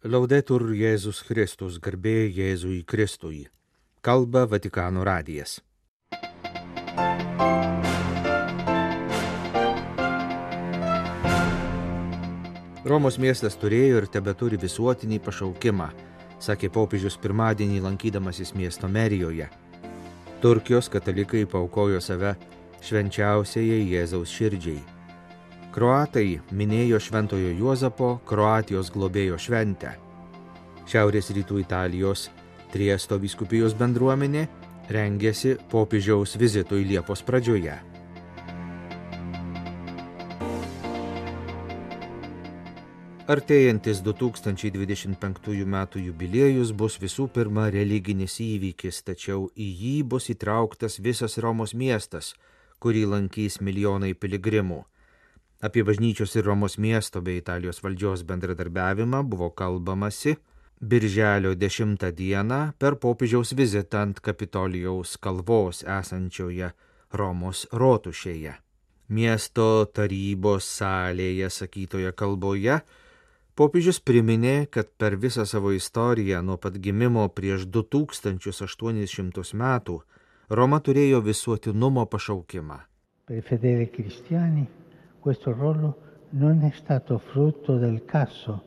Laudetur Jėzus Kristus, garbė Jėzui Kristui. Kalba Vatikano radijas. Romos miestas turėjo ir tebeturi visuotinį pašaukimą, sakė popiežius pirmadienį lankydamasis miesto merijoje. Turkijos katalikai paaukojo save švenčiausiajai Jėzaus širdžiai. Kroatai minėjo Šventojo Juozapo Kroatijos globėjo šventę. Šiaurės rytų Italijos Triesto vyskupijos bendruomenė rengėsi popiežiaus vizitui Liepos pradžioje. Artėjantis 2025 metų jubiliejus bus visų pirma religinis įvykis, tačiau į jį bus įtrauktas visas Romos miestas, kurį lankys milijonai piligrimų. Apie bažnyčios ir Romos miesto bei Italijos valdžios bendradarbiavimą buvo kalbamasi birželio 10 dieną per popiežiaus vizitą ant Kapitolijaus kalvos esančioje Romos rotušėje. Miesto tarybos salėje sakytoje kalboje popiežius priminė, kad per visą savo istoriją nuo pat gimimo prieš 2800 metų Roma turėjo visuotinumo pašaukimą. Per i fedeli cristiani questo ruolo non è stato frutto del caso,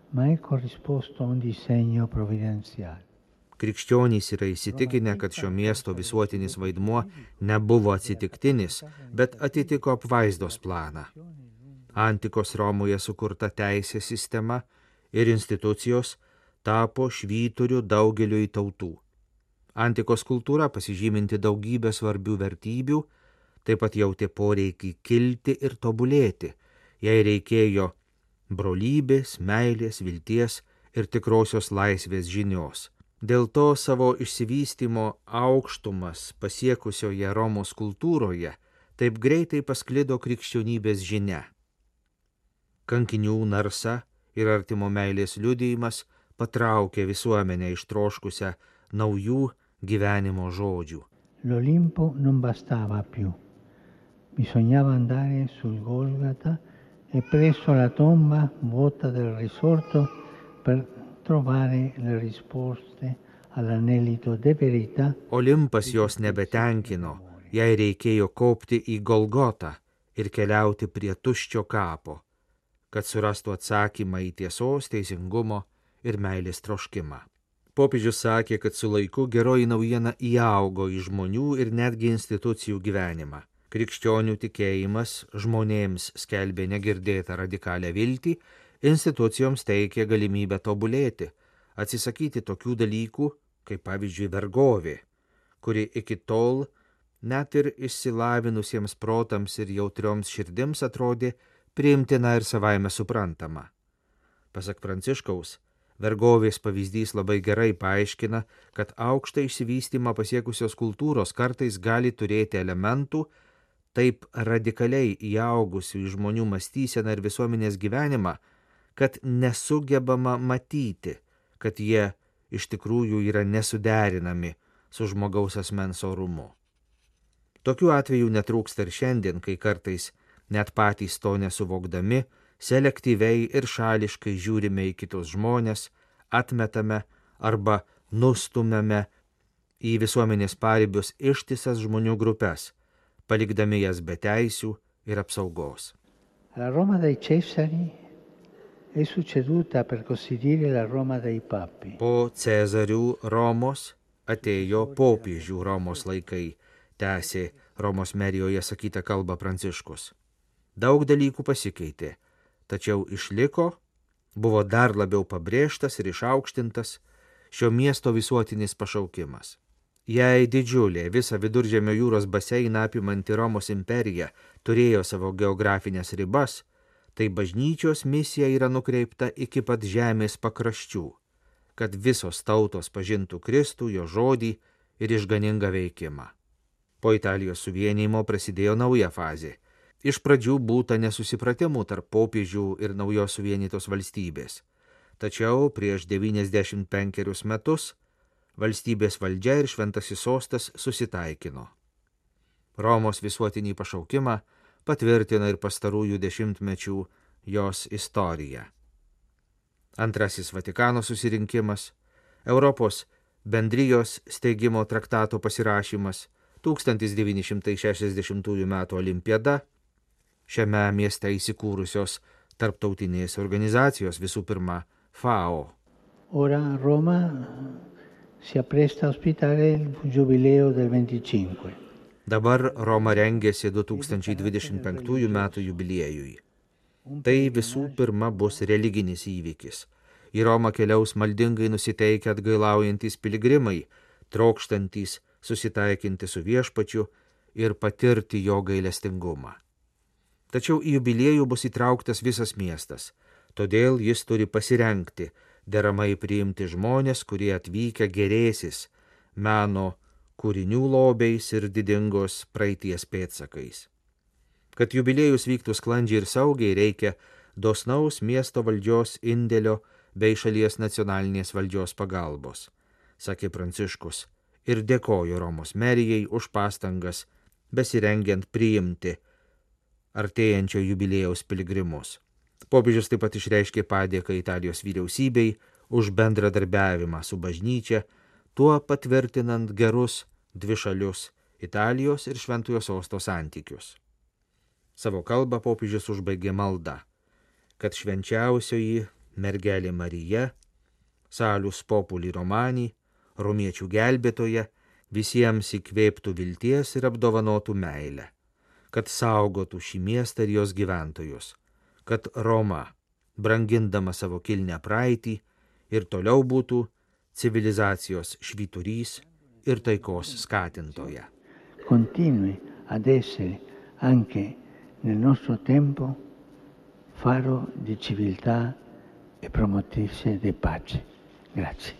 ma è corrisposto a un disegno provvidenziale. Krikščionys yra įsitikinę, kad šio miesto visuotinis vaidmuo nebuvo atsitiktinis, bet atitiko apvaizdos planą. Antikos Romoje sukurta teisės sistema ir institucijos tapo švyturiu daugeliui tautų. Antikos kultūra, pasižyminti daugybę svarbių vertybių, taip pat jautė poreikį kilti ir tobulėti. Jai reikėjo brolybės, meilės, vilties ir tikrosios laisvės žinios. Dėl to savo išsivystymo aukštumas pasiekusioje Romos kultūroje taip greitai pasklido krikščionybės žinia. Kankinių narsa ir artimo meilės liudijimas patraukė visuomenę ištroškusią naujų gyvenimo žodžių. L'Olimpo non bastava più. Bisognava andare sul Golgata e presso la tomba vuota del risorto per trovare le risposte all'anelito de verità. Olimpas jos nebetenkino, jai reikėjo kopti į Golgotą ir keliauti prie tuščio kapo, kad surastų atsakymą į tiesos, teisingumo ir meilės troškimą. Popiežius sakė, kad su laiku geroji naujiena įaugo į žmonių ir netgi institucijų gyvenimą. Krikščionių tikėjimas žmonėms skelbė negirdėtą radikalią viltį, institucijoms teikė galimybę tobulėti, atsisakyti tokių dalykų, kaip pavyzdžiui vergovė, kuri iki tol net ir išsilavinusiems protams ir jautrioms širdims atrodė priimtina ir savaime suprantama. Pasak Pranciškaus, vergovės pavyzdys labai gerai paaiškina, kad aukštą išsivystymą pasiekusios kultūros kartais gali turėti elementų, taip radikaliai įaugusių į žmonių mąstyseną ir visuomenės gyvenimą, kad nesugebama matyti, kad jie iš tikrųjų yra nesuderinami su žmogaus asmens orumu. Tokių atvejų netrūksta ir šiandien, kai kartais net patys to nesuvokdami, selektyviai ir šališkai žiūrime į kitus žmonės, atmetame arba nustumėme į visuomenės paribius ištisas žmonių grupės, palikdami jas be teisių ir apsaugos. La Roma dei Cesari è succeduta, per così dire, la Roma dei Papi. Po Cezarių Romos atėjo popiežių Romos laikai, tęsė Romos merijoje sakytą kalbą Pranciškus. Daug dalykų pasikeitė, tačiau išliko, buvo dar labiau pabrėžtas ir išaukštintas šio miesto visuotinis pašaukimas. Jei didžiulė visą Viduržemio jūros baseiną apimanti Romos imperija turėjo savo geografinės ribas, tai bažnyčios misija yra nukreipta iki pat žemės pakraščių, kad visos tautos pažintų Kristų, jo žodį ir išganingą veikimą. Po Italijos suvienijimo prasidėjo nauja fazė. Iš pradžių būta nesusipratimų tarp popiežių ir naujos suvienytos valstybės. Tačiau prieš 95 metus valstybės valdžia ir šventasis sostas susitaikino. Romos visuotinį pašaukimą patvirtina ir pastarųjų dešimtmečių jos istorija. Antrasis Vatikano susirinkimas, Europos bendrijos steigimo traktato pasirašymas, 1960 m. olimpiada, šiame mieste įsikūrusios tarptautinės organizacijos, visų pirma FAO. Ora Roma si appresta a ospitare il Giubileo del 25. Dabar Roma rengiasi 2025 m. jubiliejui. Tai visų pirma bus religinis įvykis. Į Romą keliaus maldingai nusiteikę atgailaujantis piligrimai, trokštantys susitaikinti su viešpačiu ir patirti jo gailestingumą. Tačiau į jubiliejų bus įtrauktas visas miestas, todėl jis turi pasirengti, deramai priimti žmonės, kurie atvykę gerėsis meno kūrinių lobiais ir didingos praeities pėdsakais. Kad jubiliejus vyktų sklandžiai ir saugiai, reikia dosnaus miesto valdžios indėlio bei šalies nacionalinės valdžios pagalbos, sakė Pranciškus ir dėkojo Romos merijai už pastangas besirengiant priimti artėjančio jubiliejaus piligrimus. Popiežius taip pat išreiškė padėką Italijos vyriausybei už bendradarbiavimą su bažnyčia, tuo patvirtinant gerus dvišalius Italijos ir Šventojo Sosto santykius. Savo kalbą popiežius užbaigė malda, kad švenčiausioji mergelė Marija, Salus Populi Romani, romiečių gelbėtoja, visiems įkvėptų vilties ir apdovanotų meilę, kad saugotų šį miestą ir jos gyventojus, kad Roma, brangindama savo kilnią praeitį, ir toliau būtų civilizacijos švyturys ir taikos skatintoja. Continui ad essere anche nel nostro tempo faro di civiltà e promotrice di pace. Grazie.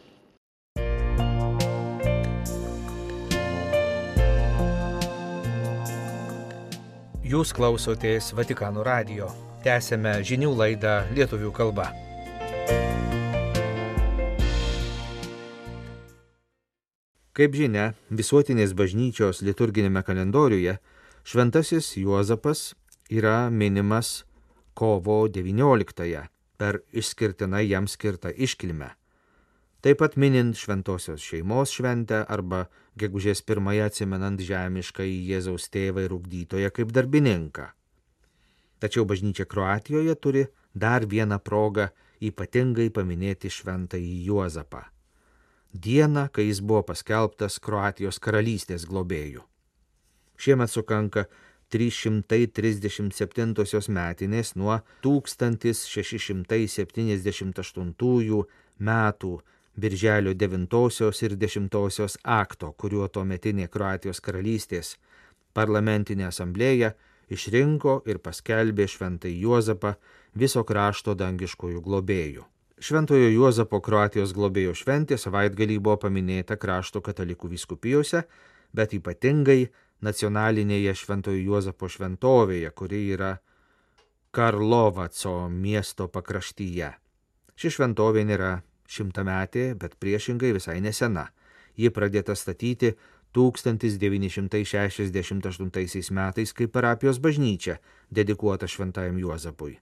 Jūs klausotės Vatikano radijo. Tęsėme žinių laidą lietuvių kalba. Kaip žinia, visuotinės bažnyčios liturginėme kalendoriuje šventasis Juozapas yra minimas kovo 19 per išskirtinai jam skirtą iškilmę. Taip pat minint šventosios šeimos šventę arba gegužės 1 atsimenant žemišką į Jėzaus tėvą ir ugdytoją kaip darbininką. Tačiau bažnyčia Kroatijoje turi dar vieną progą ypatingai paminėti šventąjį Juozapą. Dieną, kai jis buvo paskelbtas Kroatijos karalystės globėju. Šiemet sukanka 337 metinės nuo 1678 metų Birželio 9 ir 10 akto, kuriuo tuometinė Kroatijos karalystės parlamentinė asamblėja išrinko ir paskelbė šventąjį Juozapą viso krašto dangiškojų globėjų. Šventojo Juozapo Kroatijos globėjo šventė savaitgalį buvo paminėta krašto katalikų vyskupijose, bet ypatingai nacionalinėje Šventojo Juozapo šventovėje, kuri yra Karlovaco miesto pakraštyje. Ši šventovė nėra šimtametė, bet priešingai visai nesena. Ji pradėta statyti 1968 metais kaip parapijos bažnyčia, dedikuota šventajam Juozapui.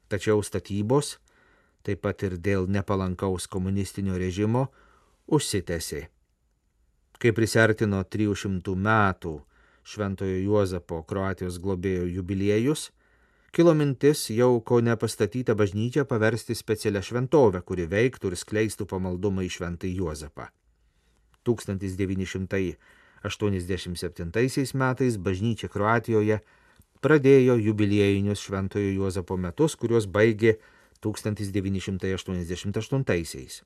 Tačiau statybos, taip pat ir dėl nepalankaus komunistinio režimo, užsitęsė. Kai prisartino 300 metų Šventojo Juozapo Kroatijos globėjo jubiliejus, kilo mintis jau kaune pastatytą bažnyčią paversti specialią šventovę, kuri veiktų ir skleistų pamaldumą į šventąjį Juozapą. 1987 metais bažnyčia Kroatijoje pradėjo jubiliejinius Šventojo Juozapo metus, kuriuos baigė 1988.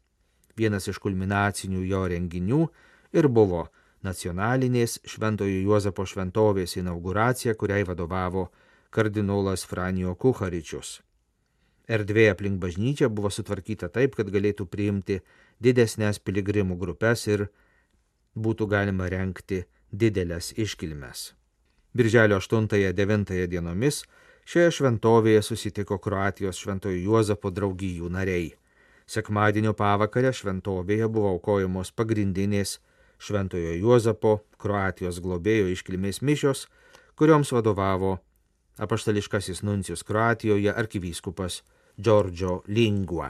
Vienas iš kulminacinių jo renginių ir buvo nacionalinės Šventojo Juozapo šventovės inauguracija, kuriai vadovavo kardinolas Franjo Kuharičius. Erdvė aplink bažnyčią buvo sutvarkyta taip, kad galėtų priimti didesnės piligrimų grupės ir būtų galima rengti didelės iškilmes. Birželio 8-9 dienomis šioje šventovėje susitiko Kroatijos Šventojo Juozapo draugijų nariai. Sekmadienio pavakarę šventovėje buvo aukojamos pagrindinės Šventojo Juozapo Kroatijos globėjo iškilmės mišios, kurioms vadovavo apaštališkasis nuncijus Kroatijoje arkivyskupas Giorgio Lingua.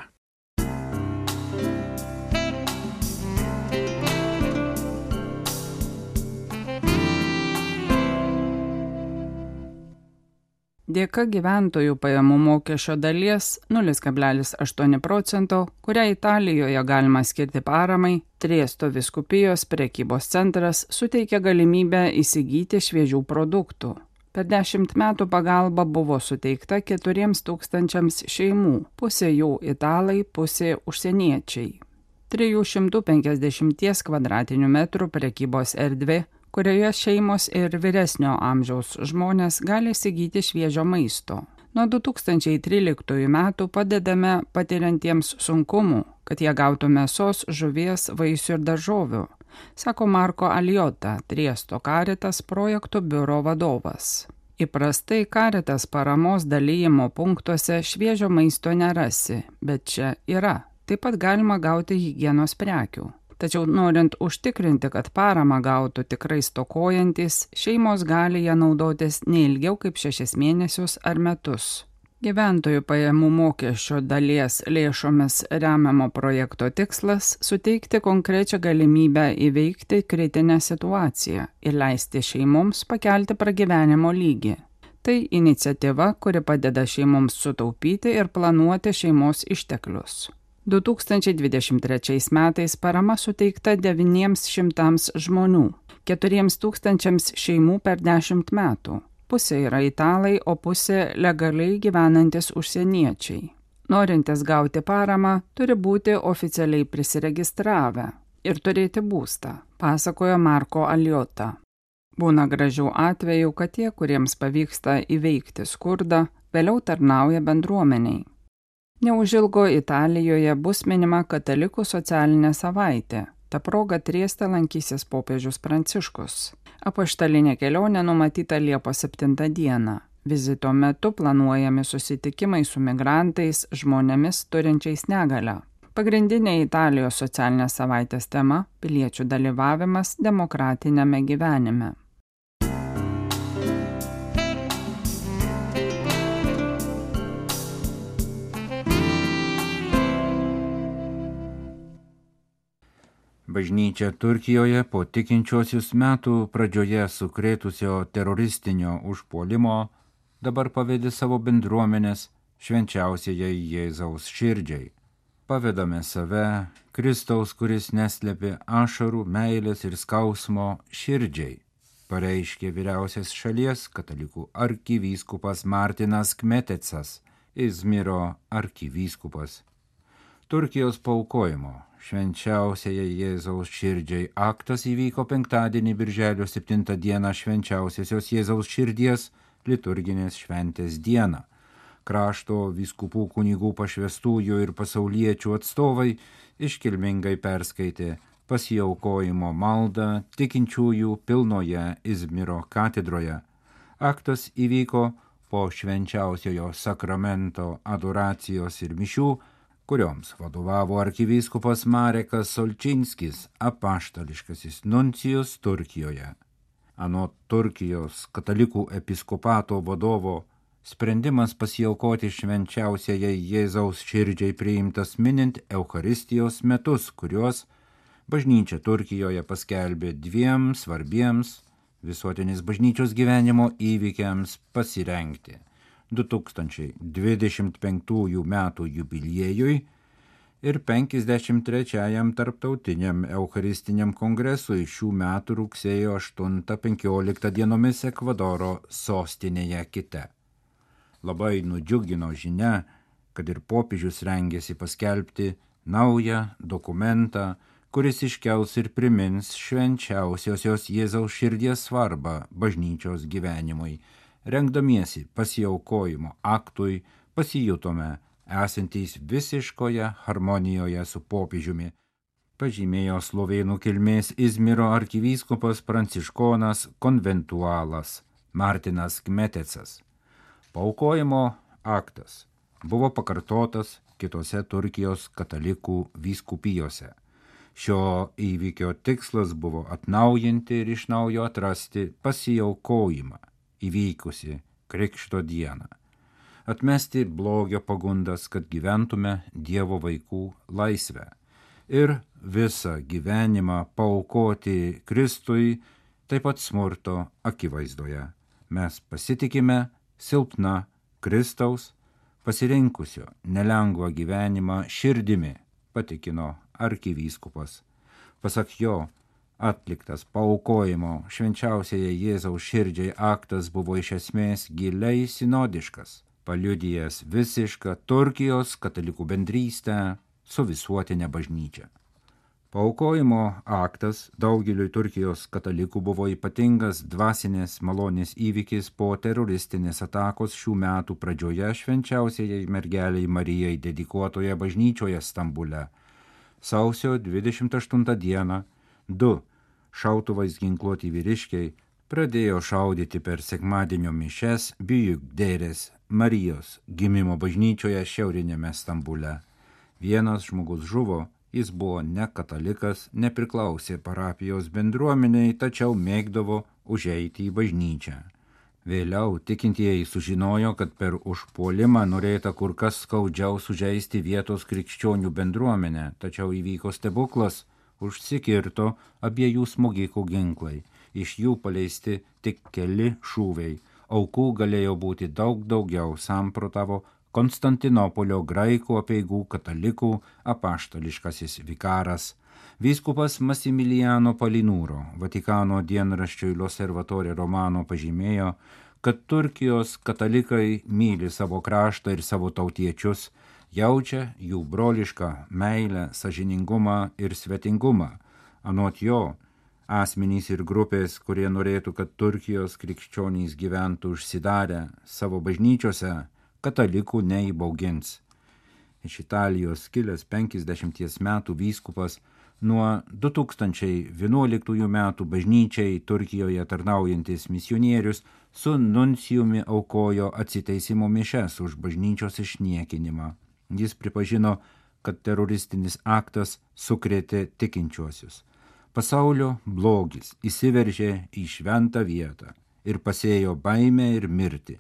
Dėka gyventojų pajamų mokesčio dalies 0,8 %, kurią Italijoje galima skirti paramai, Triesto vyskupijos prekybos centras suteikia galimybę įsigyti šviežių produktų. Per 10 metų pagalba buvo suteikta 4 000 šeimų, pusė jų italai, pusė užsieniečiai. 350 kvadratinių metrų prekybos erdvė, kurioje šeimos ir vyresnio amžiaus žmonės gali įsigyti šviežio maisto. Nuo 2013 metų padedame patiriantiems sunkumų, kad jie gautų mėsos, žuvies, vaisių ir daržovių, sako Marko Aliota, Triesto Caritas projektų biuro vadovas. Įprastai Caritas paramos dalyjimo punktuose šviežio maisto nerasi, bet čia yra. Taip pat galima gauti higienos prekių. Tačiau norint užtikrinti, kad paramą gautų tikrai stokojantis, šeimos gali ją naudotis neilgiau kaip 6 mėnesius ar metus. Gyventojų pajamų mokesčio dalies lėšomis remiamo projekto tikslas – suteikti konkrečią galimybę įveikti kritinę situaciją ir leisti šeimoms pakelti pragyvenimo lygį. Tai iniciatyva, kuri padeda šeimoms sutaupyti ir planuoti šeimos išteklius. 2023 metais parama suteikta 900 žmonių, 4 000 šeimų per 10 metų. Pusė yra italai, o pusė legaliai gyvenantis užsieniečiai. Norintis gauti paramą turi būti oficialiai prisiregistravę ir turėti būstą, pasakojo Marko Aliota. Būna gražių atvejų, kad tie, kuriems pavyksta įveikti skurdą, vėliau tarnauja bendruomeniai. Neužilgo Italijoje bus minima katalikų socialinė savaitė. Ta proga Trieste lankysis popiežius Pranciškus. Apaštalinė kelionė numatyta Liepos 7 dieną. Vizito metu planuojami susitikimai su migrantais, žmonėmis turinčiais negalią. Pagrindinė Italijos socialinės savaitės tema – piliečių dalyvavimas demokratiniame gyvenime. Bažnyčia Turkijoje po tikinčiuosius metų pradžioje sukrėtusio teroristinio užpuolimo dabar pavedė savo bendruomenės švenčiausiajai Jėzaus širdžiai. Pavedame save, Kristaus, kuris neslėpė ašarų, meilės ir skausmo širdžiai, pareiškė vyriausias šalies katalikų arkivyskupas Martinas Kmetecas, Izmiro arkivyskupas. Turkijos paaukojimo švenčiausiajai Jėzaus širdžiai aktas įvyko penktadienį birželio 7 dieną švenčiausiosios Jėzaus širdies liturginės šventės dieną. Krašto vyskupų kunigų pašvestųjų ir pasauliečių atstovai iškilmingai perskaitė pasiaukojimo maldą tikinčiųjų pilnoje Izmiro katedroje. Aktas įvyko po švenčiausiojo sakramento adoracijos ir mišių, kurioms vadovavo arkivyskupas Marekas Solčinskis, apaštališkasis nuncijus Turkijoje. Anot Turkijos katalikų episkopato vadovo, sprendimas pasiaukoti švenčiausiajai Jėzaus širdžiai priimtas minint Eucharistijos metus, kuriuos bažnyčia Turkijoje paskelbė 2 svarbiems visuotinės bažnyčios gyvenimo įvykiams pasirengti. 2025 metų jubiliejui ir 53 tarptautiniam Eucharistiniam kongresui šių metų rugsėjo 8-15 dienomis Ekvadoro sostinėje Kite. Labai nudžiugino žinia, kad ir popiežius rengėsi paskelbti naują dokumentą, kuris iškels ir primins švenčiausiosios Jėzaus širdies svarbą bažnyčios gyvenimui. Rengdamiesi pasiaukojimo aktui pasijutome esantys visiškoje harmonijoje su popiežiumi, pažymėjo slovėnų kilmės Izmiro arkivyskupas pranciškonas konventualas Martinas Kmetecas. Paaukojimo aktas buvo pakartotas kitose Turkijos katalikų vyskupijose. Šio įvykio tikslas buvo atnaujinti ir iš naujo atrasti pasiaukojimą įvykusi Krikšto dieną, atmesti blogio pagundas, kad gyventume Dievo vaikų laisvę ir visą gyvenimą paaukoti Kristui, taip pat smurto akivaizdoje. Mes pasitikime silpna Kristaus, pasirinkusio nelengvą gyvenimą širdimi, patikino arkivyskupas. Pasak jo, atliktas paaukojimo švenčiausiai Jėzaus širdžiai aktas buvo iš esmės giliai sinodiškas, paliudijęs visišką Turkijos katalikų bendrystę su visuotinė bažnyčia. Paaukojimo aktas daugeliui Turkijos katalikų buvo ypatingas dvasinės malonės įvykis po teroristinės atakos šių metų pradžioje švenčiausiai mergeliai Marijai dedikuotoje bažnyčioje Stambule. Sausio 28 dieną 2 šautuvais ginkluoti vyriškiai pradėjo šaudyti per sekmadienio mišias Büyükdere's Marijos gimimo bažnyčioje šiaurinėme Stambule. Vienas žmogus žuvo, jis buvo ne katalikas, nepriklausė parapijos bendruomeniai, tačiau mėgdavo užeiti į bažnyčią. Vėliau tikintieji sužinojo, kad per užpuolimą norėta kur kas skaudžiau sužeisti vietos krikščionių bendruomenę, tačiau įvyko stebuklas, užsikirto abiejų smogikų ginklai, iš jų paleisti tik keli šūviai, aukų galėjo būti daug daugiau, samprotavo Konstantinopolio graikų apeigų katalikų apaštališkasis vikaras. Vyskupas Massimiliano Palinuro Vatikano dienraščiui L'Osservatore Romano pažymėjo, kad Turkijos katalikai myli savo kraštą ir savo tautiečius, jaučia jų brolišką meilę, sąžiningumą ir svetingumą. Anot jo, asmenys ir grupės, kurie norėtų, kad Turkijos krikščionys gyventų užsidarę savo bažnyčiose, katalikų neįbaugins. Iš Italijos kilęs 50 metų vyskupas nuo 2011 metų bažnyčiai Turkijoje tarnaujantis misionierius su nuncijumi aukojo atsiteisimo mišias už bažnyčios išniekinimą. Jis pripažino, kad teroristinis aktas sukrėtė tikinčiuosius. Pasaulio blogis įsiveržė į šventą vietą ir pasėjo baimę ir mirtį.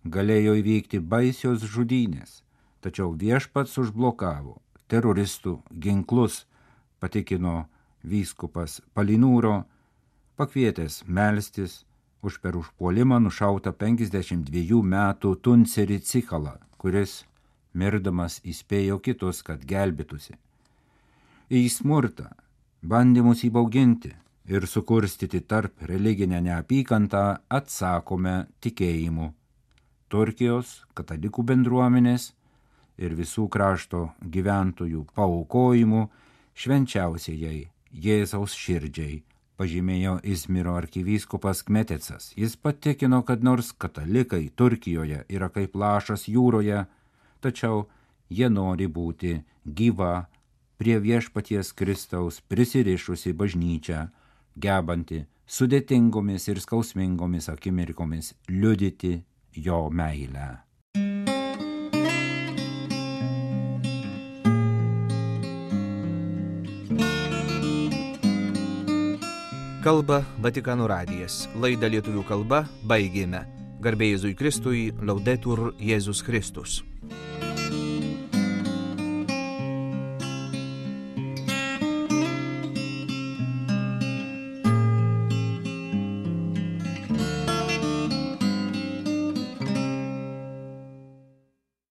Galėjo įvykti baisios žudynės, tačiau viešpats užblokavo teroristų ginklus, patikino vyskupas Palinuro, pakvietęs melstis už per užpuolimą nušautą 52 metų Tuncerį Cikalą, kuris mirdamas įspėjo kitus, kad gelbėtųsi. Į smurtą, bandymus įbauginti ir sukurstyti tarp religinę neapykantą atsakome tikėjimu. Turkijos katalikų bendruomenės ir visų krašto gyventojų paaukojimu švenčiausiai Jėzaus širdžiai, pažymėjo Izmiro arkivyskupas Kmetecas. Jis patikino, kad nors katalikai Turkijoje yra kaip lašas jūroje, tačiau jie nori būti gyva, prie viešpaties Kristaus prisirišusi bažnyčia, gebanti sudėtingomis ir skausmingomis akimirkomis liudyti jo meilę. Kalba Vatikano radijas. Laidą lietuvių kalba baigėme. Garbė Jėzui Kristui, Laudetur Jėzus Kristus.